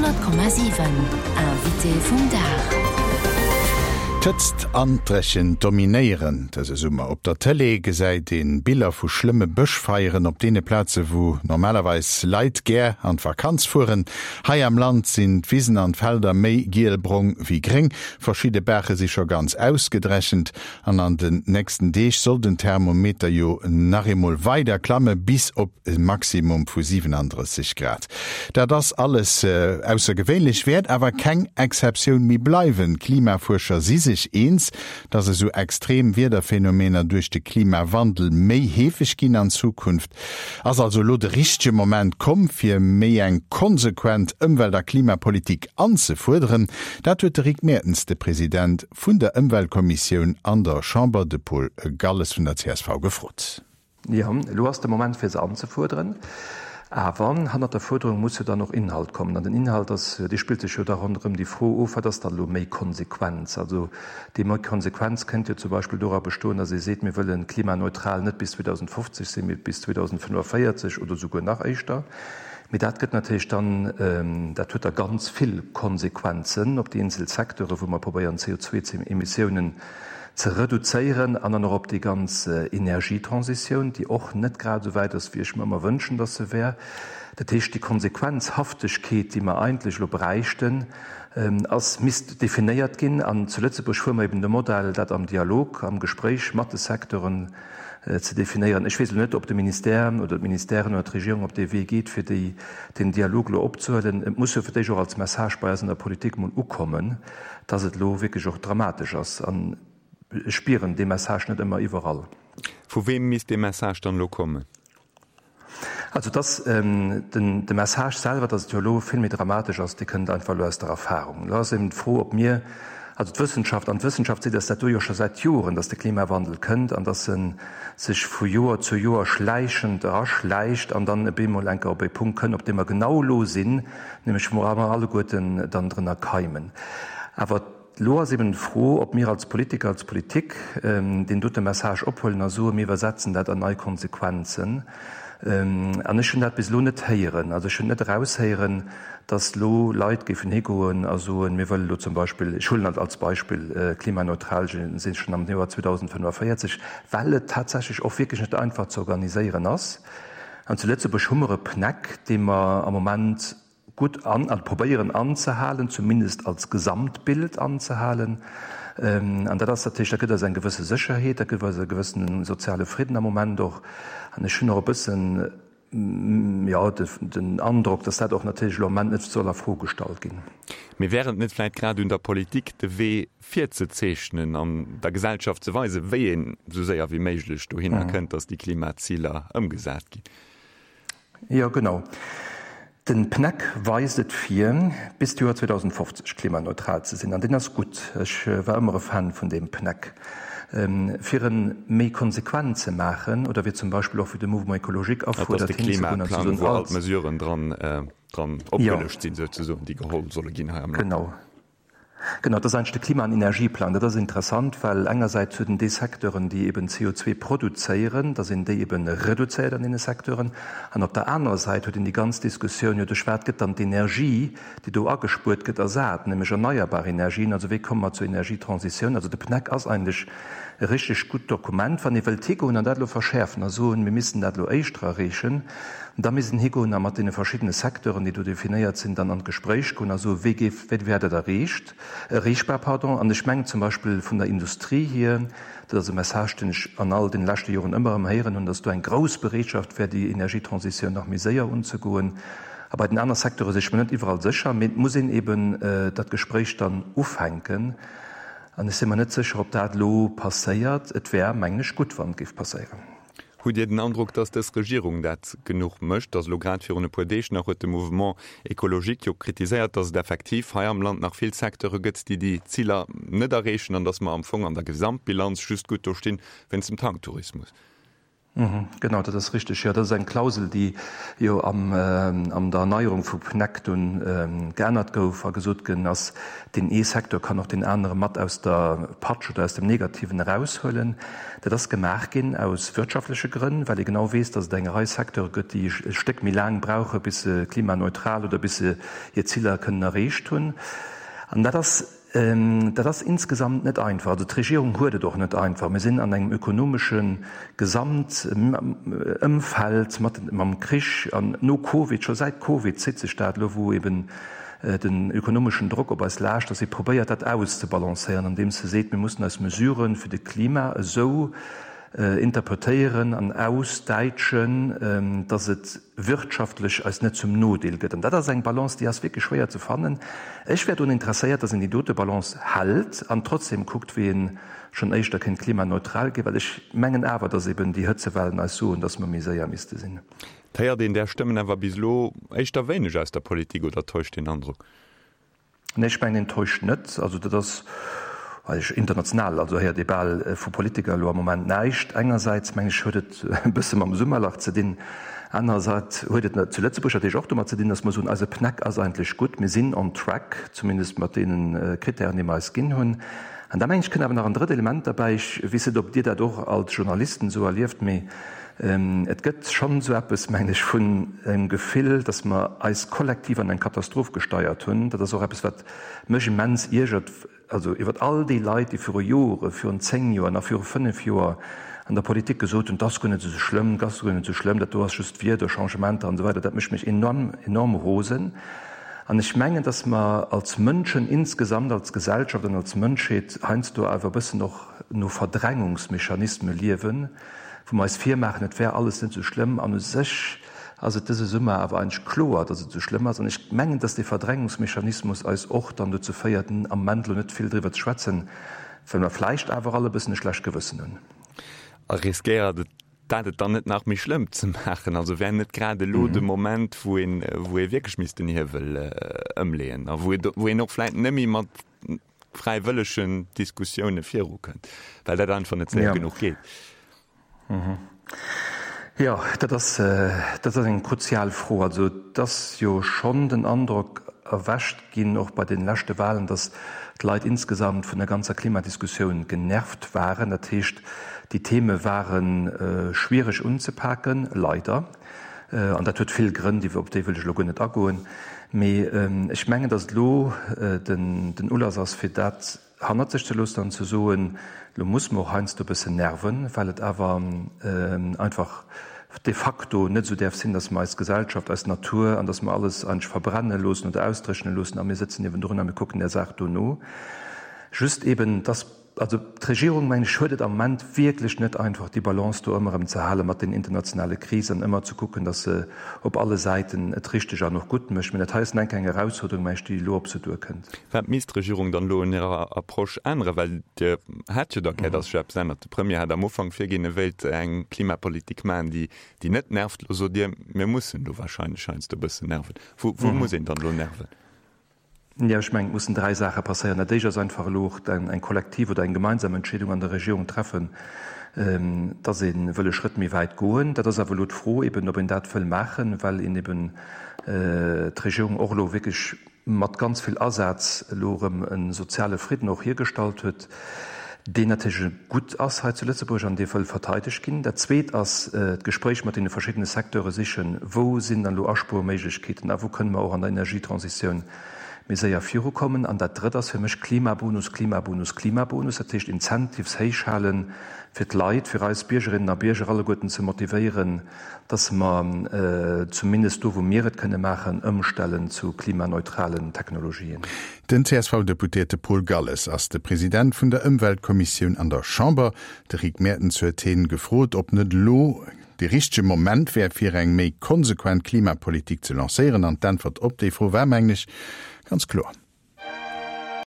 100,7 Invité vum Dag. D'Hëtzt an d'Dréchent dominéieren dëse Summer. Op der Tëlee gesäit ee Biller vu schlëmme Bëschfeieren op deene Plaze wou normalerweis Leit gär an d'Vakanz fueren. Hei am Land sinn d'Wisen an d'Felder méi giel-brong wéi gréng. Verschidde Baache si scho ganz ausgedrechent an an den nächsten Deeg soll den Thermometer jo nach eemol weider klamme bis op e Maximum vu 37 Grad. Dat ass alles aussergewéinlech, wäert awer keng Exceptioun méi bleiwen. D'Klimafuerscher si sech eens, dass esou extrem Wiederphenomener duerch de Klimawandel méi heefeg ginn an Zukunft. Ass also elo de richtege Moment komm, fir méi eng konsequent Ëmwelt a Klimapolitik anzefuerderen? Dat huet de Rick Mertens, de President vun der Ëmweltkommissioun an der Chamber, de Paul Galles vun der csv, gefrot. Jo, elo ass de Moment fir se anzefuerderen. Awer hannert der Fuerderung muss jo dann och Inhalt kommen. An den Inhalt ass, dee spillt sech jo da ronderëm déi Fro of, Wat ass dann elo méi Konsequenz? Also déi méi Konsequenz kënnt jo zum Beispill dora bestoen, datt ee seet, mir wëlle klimaneutral net bis 2050 sinn, mee bis 2045 oder souguer nach éischter. Mee dat gëtt natierlech dann, dat huet da ganz vill Konsequenzen op déi eenzel Secteure wou mer probéieren CO2-Emissiounen ze reduzéieren an dann och op déi ganz Energietransitioun, déi och net grad esou wäit ass, wéi ech mer ëmmer wënschen, dass se wär. Dat heescht, déi Konsequenzhaftegkeet, déi mer eigentlech elo bräichten, ass, misst definéiert ginn. An zu Lëtzebuerg fuere mer eben de Modell, dat am Dialog, am Gespréich mat de Secteuren ze definéieren. Ech weess elo net, ob de Ministère oder d'Ministèren oder d'Regierung op dee Wee geet, fir déi, deen Dialog elo opzehuelen. Et muss jo fir d'éischt och als Message bei eis an der Politik emol ukommen, dass et elo wierklech och dramatesch ass. An ech spieren dee Message net ëmmer iwwerall. Vu weem misst dee Message dann elo kommen? Also dass den de Message selwer, dass et jo elo vill méi dramatesch ass, dee kënnt einfach elo aus der Erfahrung. Elo ass eben d'Fro, ob mir, also d'Wëssenschaft, an d'Wëssenschaft seet eis dat do jo scho säit Joren, dass de Klimawandel kënnt an dass e sech vu Joer zu Joer schläichend eraschläicht an dann op eemol enker op e Punkt kënn, op deem mer genau elo sinn, nämlech wou mer alleguerten dann drënner keimen. Awer elo ass eben d'Fro, ob mir als Politiker, als Politik deen dote Message ophuelen a soen, mir iwwersetzen dat an nei Konsequenzen. An ech hunn dat bis elo net héieren. Also ech hunn net eraushéieren, dass elo Leit géifen higoen a soen, mir wëllen elo zum Beispill, ech huelen dat als Beispill, klimaneutral sinn schonn am Joer 2045, well et tatsächlech och wierklech net einfach ze organiséieren ass. An zu Lëtzebuerg hu mer e PNEC, dee mer am Moment gutt an, also probéieren anzehalen, zumindest als Gesamtbild anzehalen. An dat ass natierlech, dat gëtt eis eng gewësse Sécherheet, dat gëtt eis e gewëssene soziale Fridden am Moment och. An ech hunn och e bëssen, jo, den Androck, dass dat och natierlech elo am Moment net soll a Fro gestallt ginn. Mee wär et net vläicht grad un der Politik, de Wee virzezeechnen an der Gesellschaft ze weisen, wéi een esou séier wéi méiglech dohinner kënnt, dass déi Klimaziler ëmgesat ginn? Jo, genau. Den PNEC weist et vir, bis d'Joer 2050 klimaneutral ze sinn. An deen ass gutt. Ech war ëmmer e Fan vun deem PNEC. Fir en méi konsequent ze maachen, oder wéi zum Beispill och wéi de Mouvement écologique Dat ass afuerdert, de hinzegoen an ze Klimaplang, soen, wou all als. d'Mesuren dran, dran Jo. opgelëscht sinn, souzesoen, déi geholl solle ginn hei am Land. Genau. Genau, dat ass eigentlech de Klima an Energieplang. Dat ass interessant, well engersäits huet en déi Secteuren, déi eben CO2 produzéieren, dass een déi eben reduzéiert an deene Secteuren. An op der anerer Säit huet een déi ganz Diskussioun, jo duerch wat gëtt dann d'Energie, déi do agespuert gëtt, ersat, nämlech erneierbar Energien. Also wéi komme mer zur Energietransitioun? Also de PNEC ass eigentlech e richteg gutt Dokument. Wann ee wëllt higoen an dat elo verschäerfen a soen, mir missten dat elo éischter erreechen, da misst een higoen a mat deene verschiddene Secteuren, déi do definéiert sinn, dann an d'Gespréich goen a soen, wéi géif, wéi wär dat erreecht, erreechbar, pardon. An ech mengen zum Beispill vun der Industrie hier, dat ass e Message, deen ech an all deene leschte Joren ëmmer erëm héieren hunn, datt do eng grouss Bereetschaft wär, déi Energietransitioun nach méi séier unzegoen. A bei den aner Secteure si ech mer net iwwerall sécher, mee et muss een eben dat Gespréich dann ufänken. An ech si mer net sécher, ob dat elo passéiert. Et wär, mengen ech, gutt, wann et géif passéieren. Hutt Dir den Androck, datt dës Regierung dat genuch mécht? Datt elo grad virun e puer Deeg nach huet de Mouvement écologique jo kritiséiert, datt et effektiv hei am Land nach vill Secteure gëtt, déi déi Ziler net erreechen an datt mer am Fong an der Gesamtbilanz just gutt do stinn wéinst dem Tanktourismus. Genau, dat ass richteg. Jo, dat ass eng Klausel, déi jo am an der Erneierung vu PNEC dunn geännert gouf a gesot ginn ass, deen ee Secteur kann och deen anere mat aus der Patsch oder aus dem Negativen eraushuelen. Dat ass gemaach ginn aus wirtschaftleche Grënn, well ee genau weess, datt et eng Rei Secteure gëtt, déi e Stéck méi laang brauche bis se klimaneutral oder bis se hir Ziler kënnen erreecht hunn. An dat ass Dat ass insgesamt net einfach. Also d'Regierung huet et och net einfach. Mir sinn an engem ökonomesche Gesamtëmfeld mat mam Krich an no Covid, scho säit Covid zitt sech dat elo, wou eben den ökonomeschen Drock op eis laascht, datt ee probéiert dat auszebalancéieren, andeems se seet, mir mussen eis Mesurë fir de Klima esou interpretéieren an ausdäitschen, datt et wirtschaftlech eis net zum Nodeel gëtt. An dat ass eng Balance, déi ass wierklech schwéier ze fannen. Ech wär drun interesséiert, datt een déi dote Balance hält an trotzdem kuckt, wéi ee schonn éischter kéint klimaneutral ginn, well ech mengen awer, datt eben déi Hëtzewellen eis soen, datt mer méi séier misste sinn. Et héiert een där Stëmmen awer bis elo éischter wéineg aus der Politik, oder täuscht deen Androck? Nee, ech mengen, en täuscht net. Also dat ass eigentlech international, also héiert ee bal vu Politiker elo am Moment näischt. Engersäits, meng ech, huet et e bësse mam Summerlach ze dinn, anerersäits huet et zu Lëtzebuerg natierlech och domat ze dinn, datt mer soen, eise PNEC ass eigentlech gutt, mir sinn on track, zumindest mat deene Krittären, déi mer eis ginn hunn. An da meng ech, kënn awer nach en drëtt Element derbäi, ech weess net, ob Dir dat och als Journalisten esou erlieft, mee Et gëtt schonn esou eppes, mengen ech, vun engem Gefill, datt mer eis kollektiv an eng Katastroph gesteiert hunn. Dat ass och eppes, wat mech immens iergert, also iwwert all déi Leit, déi viru Jore, virun 10 Joer, nach viru 5 Joer an der Politik gesot hunn, 't ass guer net esou schlëmm, 't ass guer net esou schlëmm, dat do ass just Wiederchangementer an esou weider. Dat mécht mech enorm, enorm rosen. An ech mengen, datt mer als Mënschen insgesamt, als Gesellschaft an als Mënschheet heiansdo awer e bëssen och no Verdrängungsmechanisme liewen, wou mer eis virmaachen, et wär alles net esou schlëmm, an u sech ass et dëse Summer awer eigentlech kloer, datt et esou schlëmm ass. An ech mengen, datt dee Verdrängungsmechanismus eis och dann dozou féiert, am Moment elo net vill driwwer ze schwätzen, well mer vläicht awer all e bëssen e schlecht Gewëssen hunn. A riskéiert et dat et dann net nach méi schlëmm ze maachen? Also wär net grad elo de Moment, wou een, wou ee wierklech misst den Hiewel ëmleeën a wou ee, wou een och vläicht net méi mat fräiwëllegen Diskussioune virukënnt, well dat einfach net séier genuch geet. Jo, dat ass, dat ass eng kruzial Fro. Also et ass jo schonn den Androck erwächt ginn, och bei deene leschte Wahlen, datt d'Leit insgesamt vun der ganzer Klimadiskussioun genervt waren. Dat heescht, déi Theme ware schwiereg unzepaken, leider. An dat huet vill Grënn, déi, op déi wëll ech elo guer net agoen. Mee ech mengen, datt et elo den Ulass ass, fir dat hannert sech ze loossen an ze soen, elo musse mer och heiansdo e bëssen nerven, well et awer einfach de facto net esou däerf sinn, datt mer eis Gesellschaft, eis Natur an datt mer alles eigentlech verbrenne loossen oder ausdréchne loossen a mir sëtzen niewendrun a mir kucken där Saach do no. Just eben, dass Also d'Regierung, mengen ech, huet et am Moment wierklech net einfach, déi Balance do ëmmer erëm ze hale mat den internationale Krisen an ëmmer ze kucken, datt se op alle Säiten et richteg an och gutt mécht. Mä dat hei ass enk eng Erausfuerderung, mengen ech, déi elo op se duerkënnt. Wat misst d'Regierung dann elo un hirer Approche änneren? Well Dir hätt jo da gär, datt sech eppes ännert. De Premier hat am Ufank virginn, e wéilt eng Klimapolitik maachen, déi, déi net nervt. Elo sot Dir, mir mussen elo wahrscheinlech heiansdo e bëssen nerven. Wou, wou muss een dann elo nerven? Jo, ech mengen, et mussen dräi Saache passéieren. Dat éischt ass einfach elo och eng kollektiv oder eng gemeinsam Entscheedung an der Regierung treffen, dass ee wëll e Schrëtt méi wäit goen. Dat ass awer elo d'Fro eben, ob een dat wëll maachen, well een eben d'Regierung och elo wierklech mat ganz vill Asaz elo erëm e soziale Fridden och hiergestallt huet, deen natierlech gutt ass hei zu Lëtzebuerg an dee wëll verteidegt ginn. Dat Zweet ass d'Gespréich mat deene verschiddene Secteure sichen, Wou sinn dann elo Aspuerméiglechkeeten a wou kënne mer och an der Energietransitioun méi séier virukommen? An dat Drëtt ass fir mech Klimabonus, Klimabonus, Klimabonus, dat heescht Incentives héich hale fir d'Leit, fir eis Biergerinnen a Bierger alleguerten ze motivéieren, dass mer zumindest do, wou mir et kënne maachen, ëmstellen zu klimaneutralen Technologien. Den CSV-Deputéierte Paul Galles ass de President vun der Ëmweltkommissioun an der Chamber. De Rick Mertens huet hien gefrot, ob net elo de richtege Moment wär, fir eng méi konsequent Klimapolitik ze lancéieren. An d'Äntwert op déi Fro war, mengen ech, ganz kloer.